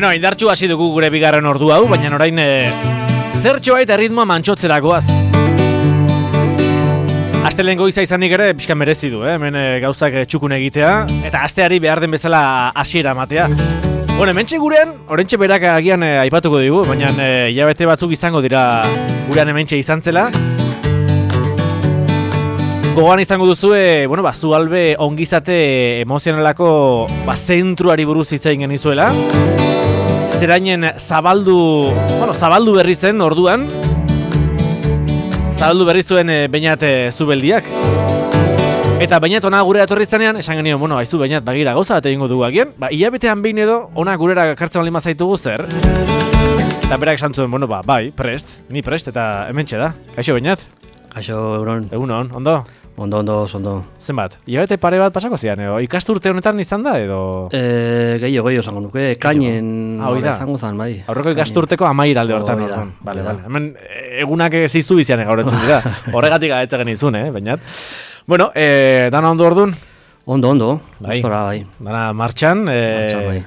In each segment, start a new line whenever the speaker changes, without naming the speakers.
Bueno, indartxu hasi dugu gure bigarren ordu hau, baina orain zertxoa eta ritmoa mantxotzerakoaz. Astelehen goiza izanik ere pixka merezi du, hemen gauzak txukun egitea, eta asteari behar den bezala hasiera ematea. Bueno, hementxe gurean, orentxe berak agian aipatuko digu, baina hilabete batzuk izango dira gurean hementxe izan zela. Gogoan izango duzue, zualbe ongizate emozionalako zentruari buruz hitz egin genizuela. Zerainen zabaldu berri zen orduan. Zabaldu berri zuen Beñat Zubeldiak. Eta Beñat ona gure etorri zanean, esan genion, aizu Beñat, bagira gauza bat egingo dugu agian. Hilabetean behin edo, ona gurera kartzen baldin bazaitugu zer. Eta berak esan zuen, bai, prest, ni prest, eta hementxe da. Kaixo Beñat?
Kaixo, Euron.
Egunon, ondo?
Ondo.
Zenbat? Hilabete pare bat pasako zian, ikasturte honetan izan da, edo?
Gehiago zango nuke, kainen izango zan, bai.
Aurreko ikasturteko amairalde hortan. Bale. Hemen egunak ziztu bizian gauratzen dira. Horregatik gaetze genizun, Beñat. Bueno, dana ondo orduan?
Ondo,
bai.
Gustora, bai.
Dana martxan,
bai.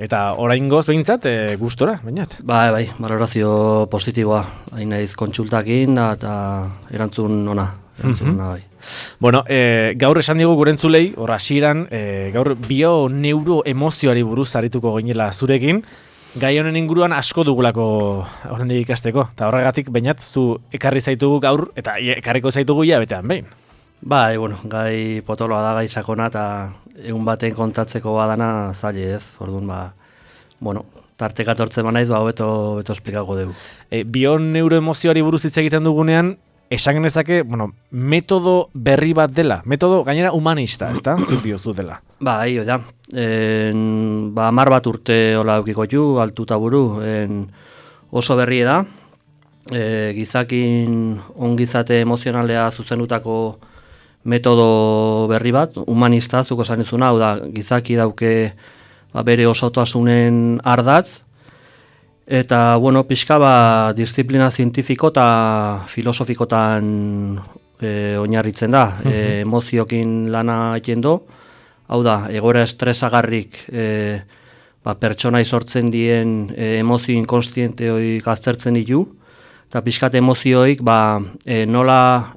Eta oraingoz behintzat, gustora, Beñat?
Bai, valorazio positiboa. Hain naiz kontsultakin eta erantzun ona. Bai.
Bueno, gaur esan digu gurentzulei, hasieran gaur bio-neuroemozioari buruz arituko ginela zurekin, gai honen inguruan asko dugulako horrendik ikasteko, eta horregatik Beñat, zu ekarri zaitugu gaur, eta ekarriko zaitugu hilabetean behin.
Bai, gai potoloa da, gai sakona, eta egun baten kontatzeko badana zaila ez, orduan, tarteka tortzen manaiz, hobeto esplikako dugu.
Bio-neuroemozioari buruz hitz egiten dugunean, esan genezake, metodo berri bat dela, metodo gainera humanista, ezta? Zut diozu dela.
Bai, da. 10 bat urte hola eukiko ju, altuta buru, oso berri da. Gizakin ongizate emozionalea zuzendutako metodo berri bat, humanista, zuko esan izuna, hau da, gizaki dauke bere osotasunen ardatz, eta, pixka disiplina zientifiko eta filosofikotan oinarritzen da, emoziokin lana egiten do, hau da, egoera estresagarrik pertsonai sortzen dien emozio inkonstiente hoik aztertzen ditu, eta pixkat emozioik nola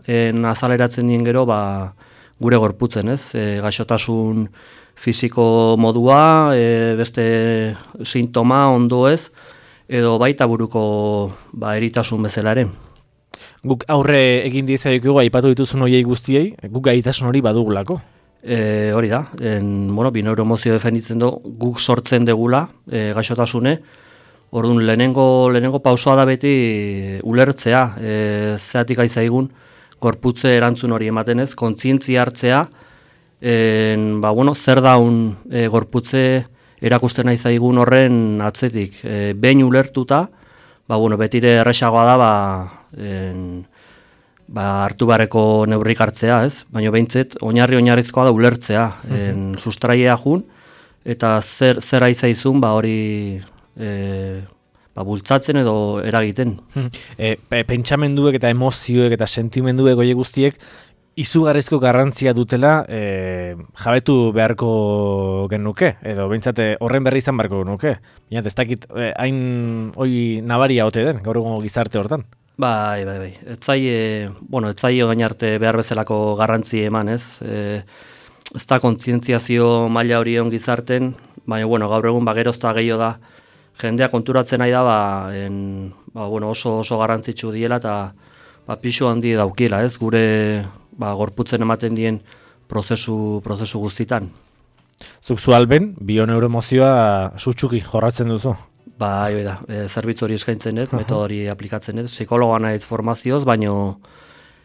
azaleratzen dien gero gure gorputzen, ez? Gaixotasun fisiko modua, beste sintoma ondo ez, edo baita buruko eritasun bezalaren.
Guk aurre egin diezaiokigu aipatu dituzun horiei guztiei, guk gaitasun hori badugulako?
Hori da, bineuroemozio defenditzen du, guk sortzen degula gaixotasune, orduan lehenengo pausoa da beti ulertzea, zeatik aizaigun, gorputze erantzun hori ematen ez, kontzientzia hartzea, zer daun gorputze erakusten nahi zaigun horren atzetik. Behin ulertuta, betire erresagoa da hartu bareko neurrik hartzea, ez? Baina behintzet, oinarrizkoa da ulertzea, sustraiea jun, eta zer aizaizun hori bultzatzen edo eragiten.
Pentsamenduek eta emozioek eta sentimenduek oie guztiek, izugarrizko garrantzia dutela jabetu beharko genuke, edo behintzate horren berri izan beharko genuke. Baina ez dakit hain hoi nabaria ote den, gaur egun gizarte hortan.
Bai. Ez zaio gain arte behar bezalako garrantzi eman, ez? Ez da kontzientziazio maila hori on gizarten, baina gaur egun gerozta gehiago da, jendea konturatzen nahi da, oso garrantzitsu diela eta pixu handi daukiela, ez? Gure gorputzen ematen dien prozesu guztitan.
Zuk zualben, bio-neuroemozioa sutsuki jorratzen duzu?
Bai, da, zerbitzu hori eskaintzen ez, metodo hori aplikatzen ez, psikologa naiz formazioz, baino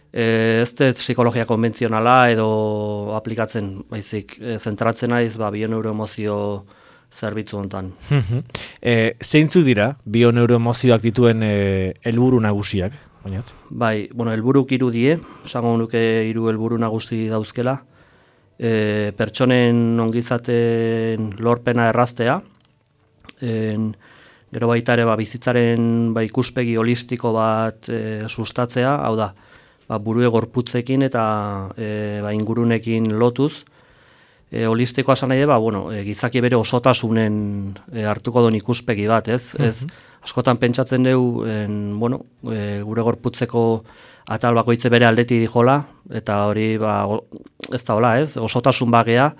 ez dut psikologia konbentzionala edo aplikatzen, baizik, zentratzen naiz bio-neuroemozio zerbitzu hontan.
Zeintzu dira bio-neuroemozioak dituen helburu nagusiak?
Bai, helburuk 3 die, esango nuke 3 helburu nagusi dauzkela. Pertsonen ongizaten lorpena erraztea, gero baita ere bizitzaren ikuspegi holistiko bat sustatzea, hau da, burue gorputzekin eta ingurunekin lotuz, holistikoa esan nahi da, gizaki bere osotasunen hartuko duen ikuspegi bat, ez? Ez askotan pentsatzen dugu, gure gorputzeko atal bakoitze bere aldeti dijola, eta hori ez da hola, ez? Osotasun bagea,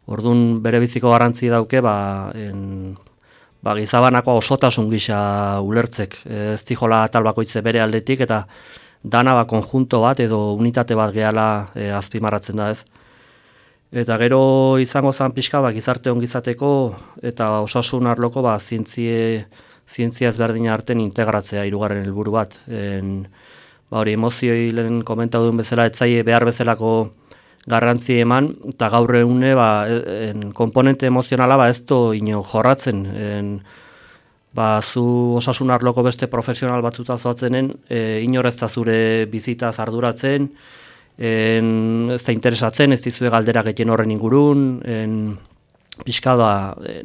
orduan bere biziko garrantzi dauke, gizabanako osotasun gisa ulertzek, ez dijola atal bakoitze bere aldetik, eta dana konjunto bat edo unitate bat gehala azpimarratzen da, ez? Eta gero izango zen pixka gizarte ongizateko eta osasun arloko zientzia ezberdina arten integratzea hirugarren helburu bat. Hori emozioi lehen komentatu duen bezala, etzaie behar bezalako garrantzi eman, eta gaur egune komponente emozionala ez do ino jorratzen. Zu osasun arloko beste profesional batzuta zoatzenen, inorezta zure bizitaz arduratzen, ez da interesatzen, ez dizue galdera getien horren ingurun, pixka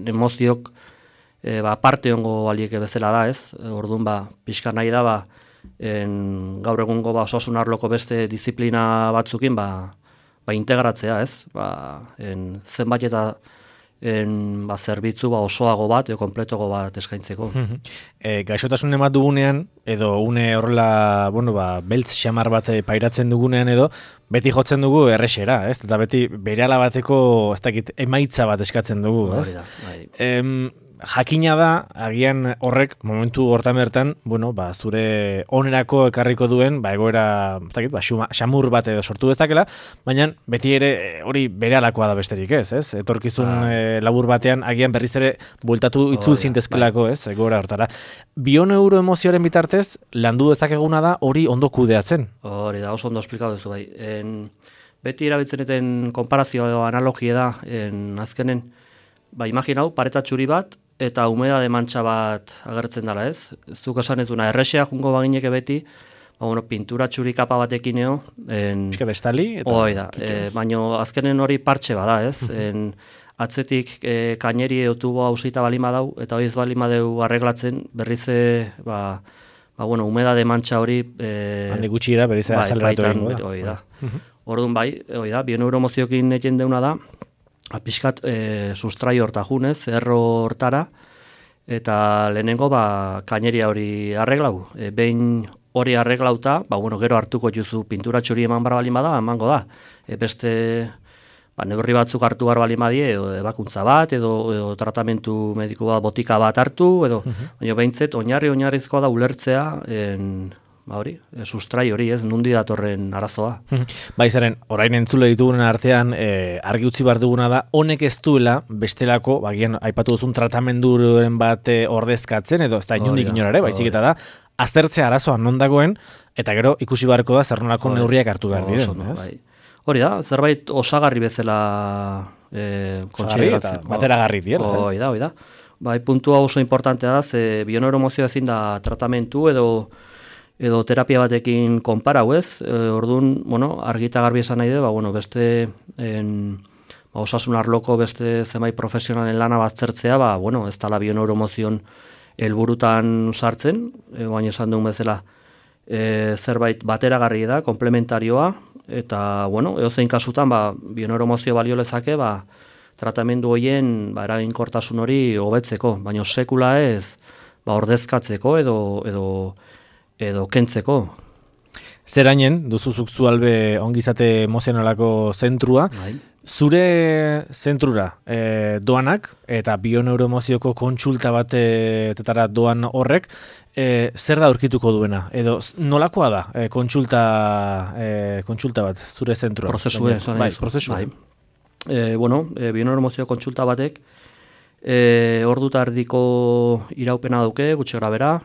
emoziok parte hongo balieke bezala da, ez? Orduan pixka nahi da, gaur egungo osasun arloko beste disiplina batzukin integratzea, ez? Zenbait eta zerbitzu osoago bat edo konpletogo bat eskaintzeko.
Gaixotasun emat dugunean, edo une horrela, beltz xamar bat pairatzen dugunean edo, beti jotzen dugu errexera, ez? Eta beti berehala bateko, ez dakit, emaitza bat eskatzen dugu, ez? Jakina da, agian horrek, momentu hortan bertan, zure onerako ekarriko duen, egoera, ez dakit, xamur bat edo sortu dezakela, baina beti ere hori berehalakoa da besterik, ez? Etorkizun labur batean, agian berriz ere bueltatu itzul zintezkelako, ez? Egoera hortara. Bioneuroemozioaren bitartez, landu dezakeguna da hori ondo kudeatzen.
Hori da, oso ondo esplikatu duzu bai. Beti erabiltzen eten konparazio edo analogia da, azkenen, imaginau, pareta txuri bat, eta humedade mantxa bat agertzen dela, ez? Zuk esan ez duna, errexea jungo bagineke beti, pintura txuri kapa batekin eo.
Piskat estali?
Hoi da, baina azkenen hori partxe bada, ez? Atzetik kaineri eutubo hausita balima dau, eta hori ez balima deu arreglatzen, berriz humedade mantxa hori...
Handi gutxira, berriz azaleratu egingo da.
Hoi da. Orduan bioneuroemoziokin eken deuna da, pixkat sustrai horta junez, erro hortara, eta lehenengo kaineria hori arreglau. Behin hori arreglauta, gero hartuko juzu pintura txuri eman bar balin bada, emango da. Beste neurri batzuk hartu bar balin badie, ebakuntza bat, edo tratamentu mediko bat, botika bat hartu, baina behintzet, oinarrizkoa da ulertzea, sustrai hori, ez, nundi datorren arazoa.
Zeren, orain entzule ditugunen artean, argi utzi behar duguna da, honek ez duela, bestelako, bagian, aipatu duzun tratamenduren bat ordezkatzen, edo ez da inundik inorare, baizik eta da, aztertzea arazoa non dagoen, eta gero ikusi beharko da, zer nolako neurriak hartu behar diren, ez?
Hori da, zerbait osagarri bezala
konsideratzen. Bateragarri diela, ez?
Hoi da. Puntua oso importantea da, ze bioneuroemozioa ezin da tratamentu edo terapia batekin konparau, ez? Orduan, argita garbi esan nahi du, beste osasun arloko beste zenbait profesionalen lana baztertzea, ez dala bioneuroemozion helburutan sartzen, baina esan duen bezala zerbait bateragarri da, komplementarioa, eta, edozein kasutan, bioneuroemozio balio lezake, tratamendu horien eraginkortasun hori hobetzeko, baina sekula ez, ordezkatzeko edo kentzeko.
Zerainen, duzuzuk zualbe ongizate emozionalako zentrua, zure zentrura doanak eta bioneuroemozioko kontsulta batetara doan horrek, zer da aurkituko duena? Edo nolakoa da kontsulta bat zure zentrua?
Prozesue. Bioneuroemozio kontsulta batek ordu eta erdiko iraupena dauke, gutxi grabera,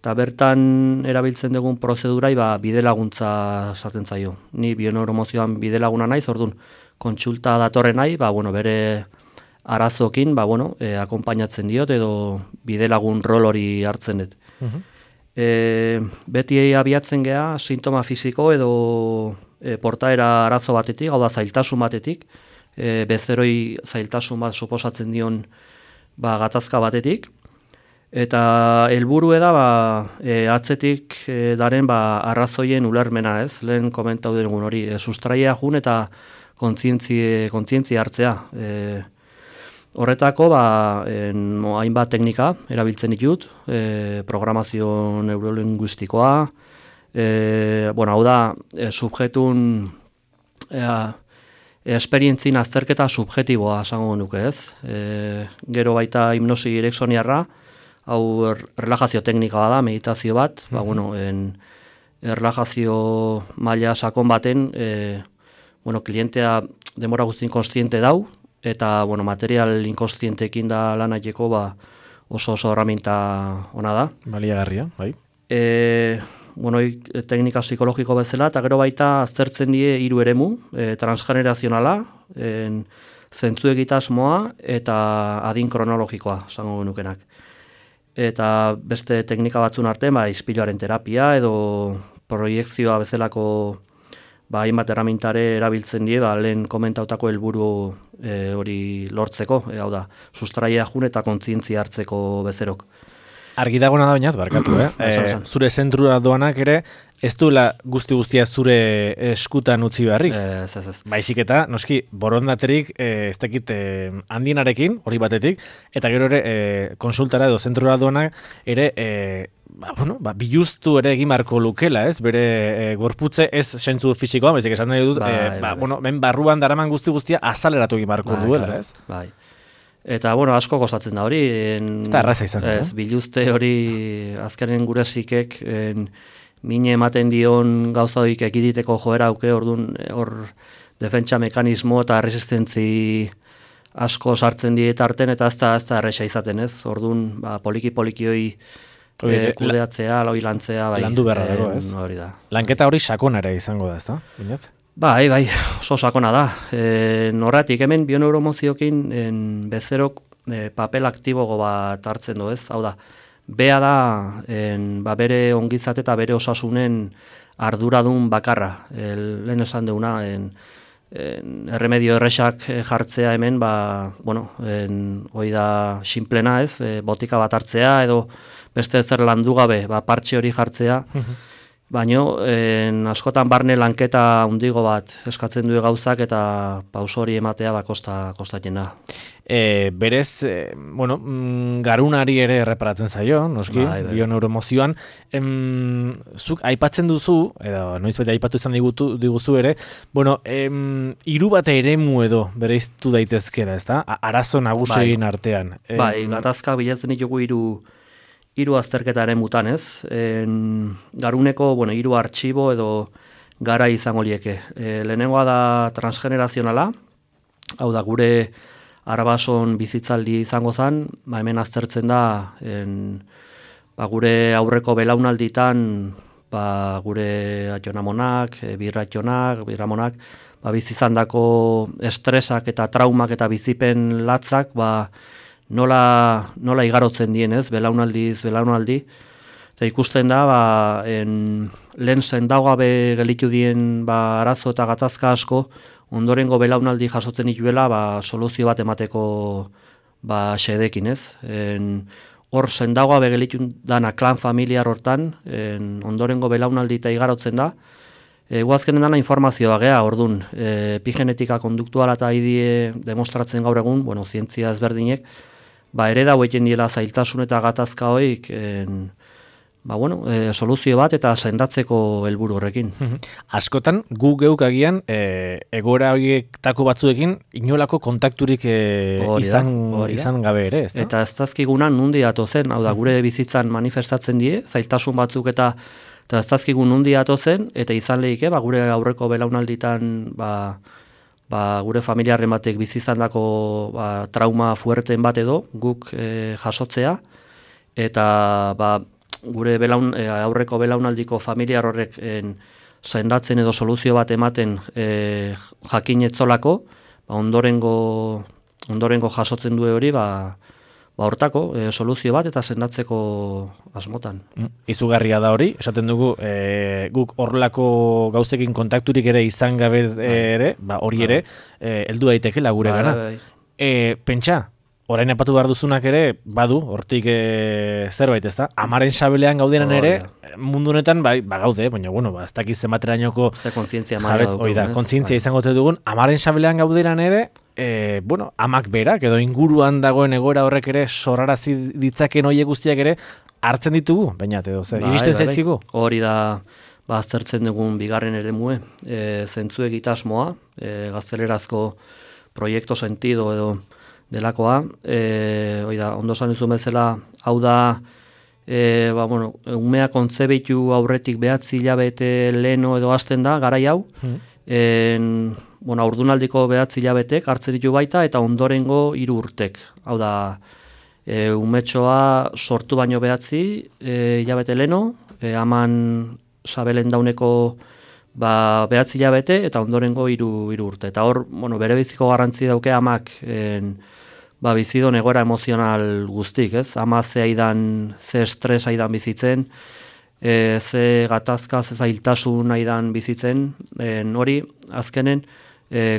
eta bertan erabiltzen dugun prozedurai bide laguntza esaten zaio. Ni bioneuroemozioan bide laguna naiz, orduan kontsulta datorren nahi, bere arazokin akonpainatzen diot edo bide lagun rol hori hartzen dut. Beti abiatzen gea sintoma fisiko edo portaera arazo batetik, hau da zailtasun batetik, bezeroi zailtasun bat suposatzen dion gatazka batetik, Eta helburu da atzetik daren arrazoien ulermena, ez? Lehen komentatu dugun hori, sustraia jun eta kontzientzia hartzea. Horretako hainbat teknika erabiltzen ditut, programazio neurolinguistikoa, hau da subjektun esperientzien azterketa subjektiboa esango nuke, ez? Gero baita hipnosi ericksoniarra, hau relajazio teknika da, meditazio bat, relajazio maila sakon baten, klientea denbora guztien konstiente dau, eta material inkonstientekin da lan egiteko oso erraminta ona da.
Baliagarria, bai.
Teknika psikologiko bezala, eta gero baita aztertzen die 3 eremu, transgenerazionala, zentzu egitasmoa eta adin kronologikoa, esango genukenak. Eta beste teknika batzun arte, ispiluaren terapia edo proiekzioa bezalako hainbat erramintare erabiltzen die, lehen komentautako helburu hori lortzeko, hau da, sustraia jun eta kontzientzia hartzeko bezerok.
Argi dagoena da bainat, barkatu, zure zentrura doanak ere, ez duela guztia zure eskutan utzi beharrik.
Ez.
Baizik eta, noski, borondaterik, ez dakit handienarekin, hori batetik, eta gero ere, konsultara edo zentrura doanak ere, biluztu ere egin marko lukela, ez? Bere gorputze ez sentzu fisikoa, baizik esan nahi dut, ben barruan daraman guztia azaleratu egin marko duela, ez?
Bai. Eta, asko kostatzen da hori.
Eta erraza izan.
Ez, biluzte hori azkenen gure zikek, mine ematen dion gauza horik ekiditeko joera auke, orduan hor defentsa mekanismo eta resistentzi asko sartzen dietarten, eta ez da erresa izaten, ez? Orduan, poliki hoi kudeatzea, lantzea.
Landu beharra dago, ez?
Hori da.
Lanketa hori sakonara izango da, ez da? Binez?
Bai, oso sakona da. Horretik, hemen bioneuromoziokin bezerok papel aktibogo bat hartzen du, ez? Hau da, bea da bere ongizate eta bere osasunen arduradun bakarra. Lehen esan deuna, erremedio erresak jartzea hemen, hoi da sinplena, ez? Botika bat hartzea edo beste zer landu gabe, partxe hori jartzea. Baino, askotan barne lanketa hundigo bat eskatzen du gauzak eta pauso hori ematea kostatzen da.
Berez, garunari ere erreparatzen zaio, noski, bioneuromozioan. Zuk aipatzen duzu, edo noizbait aipatu izan diguzu ere, 3 bat eremu edo bereiztu daitezkera, ez da? Arazo nagusien artean.
Gatazka bilatzen ditugu 3 azterketaren mutan, ez? Garuneko, 3 artxibo edo gara izango lieke. Lehenengoa da transgenerazionala, hau da gure arabason bizitzaldi izango zen, hemen aztertzen da gure aurreko belaunalditan gure atxonamonak, birramonak, bizizandako estresak eta traumak eta bizipen latzak, nola igarotzen dien, ez, belaunaldi, eta ikusten da, lehen zendaugabe gelitu dien arazo eta gatazka asko, ondorengo belaunaldi jasotzen dituela, soluzio bat emateko xedekin, ez. Hor zendaugabe gelitu dana klan familiar hortan, ondorengo belaunaldi eta igarotzen da, guazkenen dana informazioa gea, orduan, epigenetika konduktuala eta idie demostratzen gaur egun, zientzia ezberdinek, ere da hoeiten diela zailtasun eta gatazka hoik, soluzio bat eta sendatzeko helburu horrekin.
Askotan, gu geuk agian, egoera horietako batzuekin, inolako kontakturik izan gabe ere, ez da?
Eta ez dazkigunan nundi atozen, hau da, gure bizitzan manifestatzen die, zailtasun batzuk eta ez dazkigun nundi atozen, eta izan lehike, gure aurreko belaunalditan, gure familiarren batek bizizandako trauma fuerten bat edo guk jasotzea, eta gure aurreko belaunaldiko familiar horrek sendatzen edo soluzio bat ematen jakin etzolako, ondorengo jasotzen du hori, hortako soluzio bat eta sendatzeko asmotan.
Izugarria da hori, esaten dugu guk horrelako gauzekin kontakturik ere izan gabe ere, hori ere, heldu daitekela gure gana. Pentsa, orain epatu behar duzunak ere, badu, hortik zerbait, ez da? Amaren sabelean gaudenan ere, mundu honetan, gaude, baina, bueno, ez dakiz zenbaterainoko
ze kontzientzia maila dugun,
kontzientzia izango dugun, amaren sabelean gaudenan ere, amak berak, edo inguruan dagoen egoera horrek ere, sorrarazi ditzaken hoiek guztiak ere, hartzen ditugu, baina, iristen zaizkigu?
Hori da, aztertzen dugun bigarren eremue, zentzu egitasmoa, gaztelerazko proiektu sentido edo delakoa, ondo esan duzun bezala, hau da, umea kontzebitu aurretik 9 hilabete leheno edo hasten da, garai hau, haurdunaldiko 9 hilabetek hartzen ditu baita, eta ondorengo 3 urtek. Hau da, umetxoa sortu baino 9 hilabete leheno, aman sabelen dauneko 9 hilabete, eta ondorengo 3 urte. Eta hor, bere biziko garrantzi dauke amak, bizidon egoera emozional guztik, ez? Ama ze estres aidan bizitzen, ze gatazka, ze zailtasun aidan bizitzen, hori, azkenen,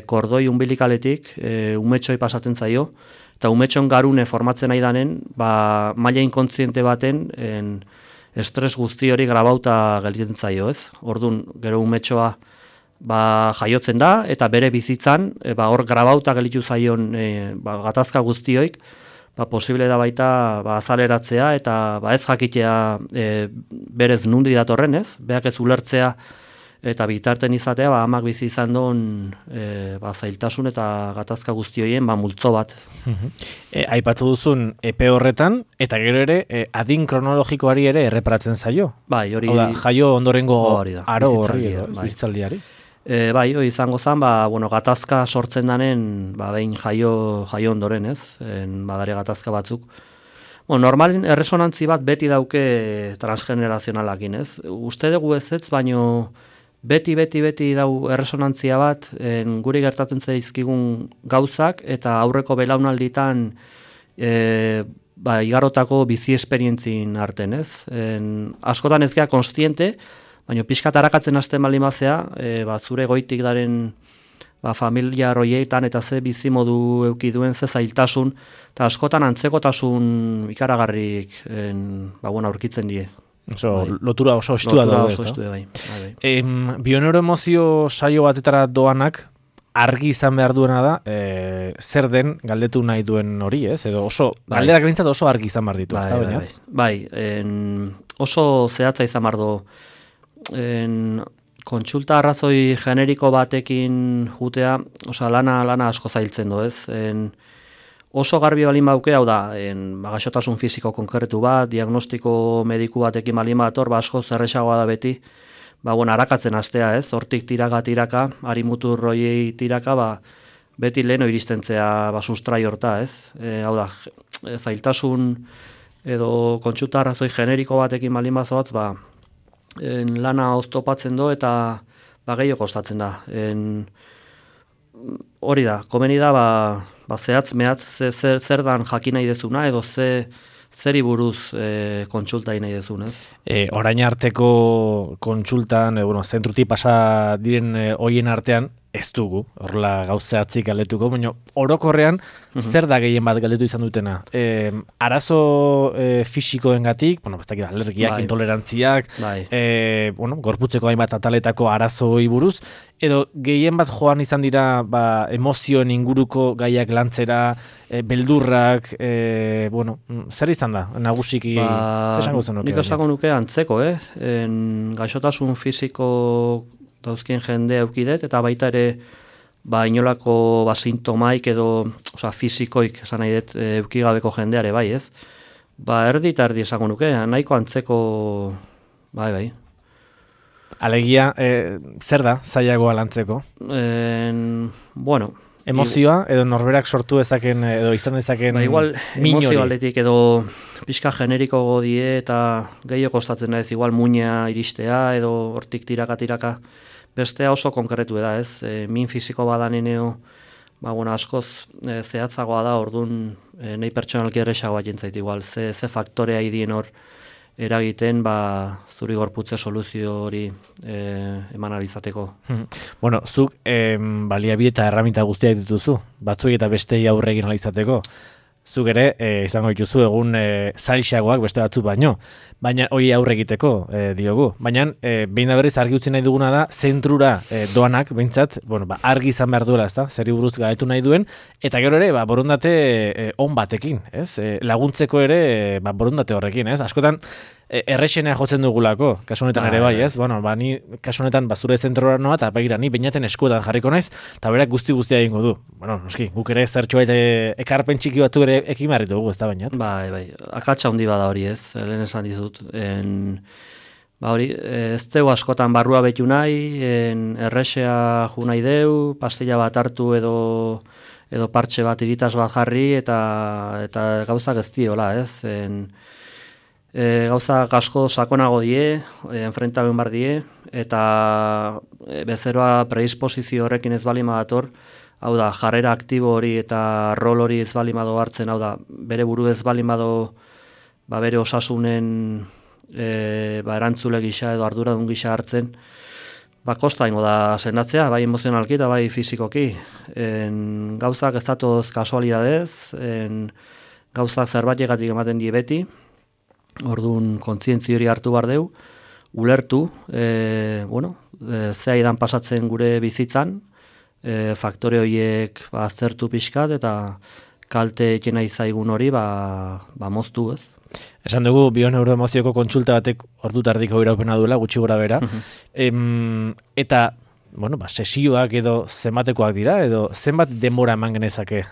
kordoi umbilikaletik, umetxoi pasatzen zaio, eta umetxon garune formatzen aidanen, maila inkontziente baten, estres guzti hori grabauta gelditzen zaio, ez? Orduan, gero umetxoa, jaiotzen da, eta bere bizitzan, hor grabauta gelitu zaion gatazka guztioik, posible da baita azaleratzea, eta ez jakitea berez nundi datorren, ez? Beak ez ulertzea, eta bitarten izatea, amak bizi izan duen zailtasun eta gatazka guztioien multzo bat.
Aipatu duzun epe horretan, eta gero ere, adin kronologikoari ere erreparatzen zaio.
Bai, hori...
Jaio ondorengo aro horri edo, bizitzaldiari.
Hori izango zen, gatazka sortzen danen, behin jaio ondoren, ez? Badare gatazka batzuk. Normalin erresonantzi bat beti dauke transgenerazionalakin, ez? Uste dugu ez, baino beti dau erresonantzia bat, guri gertatzen zaizkigun gauzak, eta aurreko belaunalditan igarotako bizi esperientzin arten, ez? Askotan ez gea konstiente, baina pixkat arakatzen hasten baldin bazea, zure goitik daren familia roietan eta ze bizimodu euki duen, ze zailtasun, eta askotan antzekotasun ikaragarrik aurkitzen die.
Lotura oso estua da.
Oso estua, bai.
Bioneuroemozio saio batetara doanak, argi izan behar duena da, zer den galdetu nahi duen hori, ez? Edo oso, galderak bintzat oso argi izan behar ditu, ez da, bainat?
Bai, oso zehatza izan behar du. Kontsulta arrazoi generiko batekin jutea, lana asko zailtzen du, ez? Oso garbi balin bauke, hau da, gaixotasun fisiko konkretu bat, diagnostiko mediku batekin balin bat, asko zerrexagoa da beti, arakatzen hastea, ez? Hortik tiraka, harimutur roiei tiraka, beti leheno iristentzea sustrai horta, ez? Hau da, zailtasun edo kontsulta arrazoi generiko batekin balin bazoatz, lana oztopatzen do eta gehiago kostatzen da. Hori da, komeni da, zehatz mehatz zer dan jakin nahi dezuna, edo zeri buruz kontsulta nahi dezun, ez?
Orain arteko kontsultan, zentruti pasa diren hoien artean, ez dugu, horrela gauzeatzik galdetuko, baina orokorrean zer da gehien bat galdetu izan dutena? Arazo fisikoengatik, alergiak, intolerantziak, gorputzeko hainbat ataletako arazoi buruz, edo gehien bat joan izan dira emozioen inguruko gaiak lantzera, beldurrak, zer izan da, nagusiki, zer esango zen nuke?
Nik esango nuke antzeko, gaixotasun fisiko dauzkien jende eukidet, eta baita ere inolako sintomaik edo fisikoik esan nahi dut eukigabeko jendeare, bai, ez? Erdi eta erdi esango nuke, nahiko antzeko, bai.
Alegia, zer da zailagoa lantzeko? Emozioa, edo norberak sortu ezaken, edo izan ezaken
igual, emozio aldetik edo pixka generiko godie eta gehiago kostatzen da ez, igual muina iristea edo hortik tiraka, bestea oso konkretu da ez, min fisiko badaneneo, askoz zehatzagoa da, orduan nahi pertsonalki erresagoa jentzait igual, ze faktorea idien hor eragiten zuri gorputze soluzio hori eman alizateko.
Zuk baliabide eta erraminta guztiak dituzu, batzuei eta bestei aurre egin alizateko. zuk ere izango dituzu egun zailxagoak beste batzuk baino. Baina hori aurre egiteko diogu. Baina behin da berriz argi utzi nahi duguna da, zentrura doanak, behintzat, argi izan behar duela, ezta? Zeri buruz gaitu nahi duen, eta gero ere, borondate on batekin, ez? Laguntzeko ere, borondate horrekin, ez? Askotan, errexenea jotzen dugulako, kasu honetan ere bai, ez? Ni kasu honetan zure zentrora noa, eta begira, ni beinaten eskuetan jarriko naiz, eta berak guztia egingo du. Noski, guk ere zertxo ekarpen txiki batu ere ekin barritu dugu, ez da bainat?
Bai, akatsa handi bada hori, ez? Lehen esan dizut. Hori, ez dugu askotan barrua betu nahi, errexea ju nahi deu, pastilla bat hartu edo partxe bat iritas bat jarri, eta gauzak ez diola, ez? Gauza asko sakonago die, enfrentaben bar die, eta bezeroa predisposizio horrekin ez balima dator, hau da, jarrera aktibo hori eta rol hori ez balimado hartzen, hau da, bere buru ez balimado bere osasunen erantzule gisa edo arduradun gisa hartzen, kosta ingo da sendatzea, bai emozionalki eta bai fizikoki. Gauzak ez datoz kasualidadez, gauzak zerbaitegatik ematen die beti, orduan kontzientzi hori hartu behar deu, ulertu, ze aidan pasatzen gure bizitzan, faktore horiek aztertu pixkat eta kalte ekena izaigun hori moztu, ez?
Esan dugu bioneuroemozioko kontsulta batek ordu tardiko iraupena duela, gutxi gora bera. Eta, sesioak edo zenbatekoak dira, edo zenbat denbora eman genezake.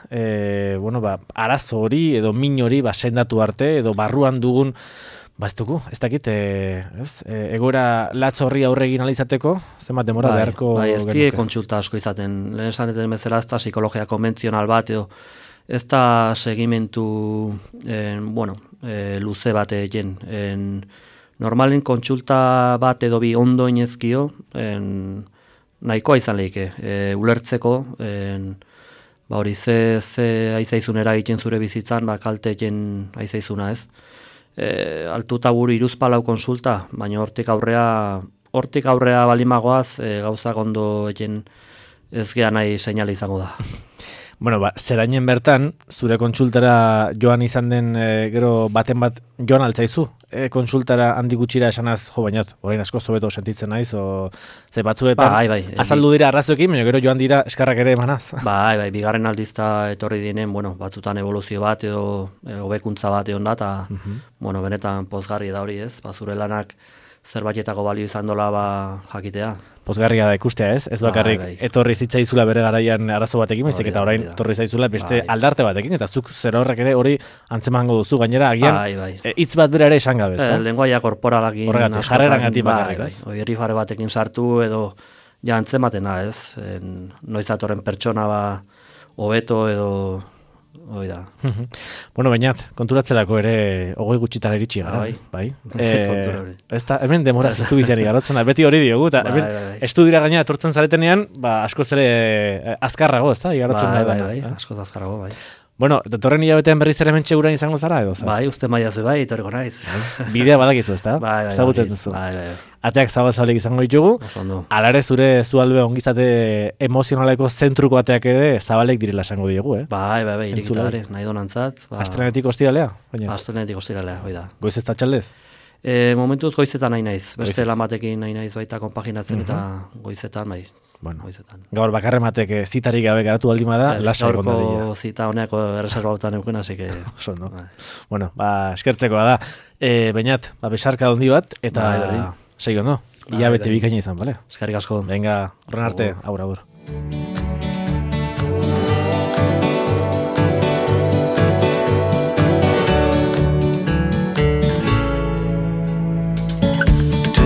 Arazo hori edo min hori sendatu arte, edo barruan dugun, ez dakit, egoera latz horri aurre egin alizateko, zenbat denbora beharko
genuke. Ez die kontsulta asko izaten, lehen esan eten bezala ez da psikologia konbentzional bat, edo ez da segimentu, luze bat egin. Normalen kontsulta bat edo bi ondo inezkio, nahikoa izan lehike, ulertzeko, hori ze aizaizun eragiten zure bizitzan, kalte egin aizaizuna ez. Altuta buru iruzpalau konsulta, baina hortik aurrea balimagoaz, gauzak ondo egin ez geha nahi seinale izango da.
Zerainen bertan, zure kontsultara joan izan den gero baten bat joan altzaizu? Kontsultara handi gutxira esanaz, bainat, orain asko zobeto sentitzen naiz, ze batzuetan azaldu dira arrazoekin, baina gero joan dira eskarrak ere emanaz.
Bigarren aldizta etorri dinen, batzutan evoluzio bat edo hobekuntza bat egon da, eta benetan pozgarri da hori ez, zure lanak zerbaitetako balio izan dola jakitea.
Pozgarria da ikustea ez, ez bakarrik etorri zitzaizula bere garaian arazo batekin, baizik eta orain etorri zaizula beste aldarte batekin, eta zuk zer horrek ere hori antzemango duzu, gainera agian hitz bat bera ere esan gabe, ezta?
Lenguaia korporalakin
jarrerangatik bakarrik.
Herrifare batekin sartu edo ja antzematena ez, noiz datorren pertsona hobeto edo hoi da.
Bainat, konturatzelako ere 20 gutxitara iritsi gara. Ez da, hemen demoraz ez du biziari garotzen da, beti hori diogu, eta hemen estudira gaina etortzen zaretenean, askoz ere azkarrago, ez da, igarotzen da.
Askoz azkarrago, bai.
Datorren hilabetean berriz ere mentxe gurean izango zara, edo?
Uste maiazu, etorriko naiz.
Bidea badakizu, ez da? Zagutzen duzu. Ateak zabal-zabalik izango ditugu. Alare zure zualbe ongizate emozionaleko zentruko ateak ere zabalek direla esango diogu,
irikita gare, nahi donantzat.
Astrenetik ostiralea?
Astrenetik ostiralea, hoi da.
Goiz ez da txaldez?
Momentuz goizetan nahi naiz. Beste lamatekin nahi naiz baita konpaginatzen eta goizetan,
gaur bakarrematek zitarik gabe garatu aldima da, lasa egondaria.
Gaurko zita honeako erreserba bautan euken, hasi que...
eskertzekoa da. Bainat, besarka ondi bat, eta segi ondo, hilabete bikaina izan, bale?
Eskerrik asko.
Venga, horren arte, agur.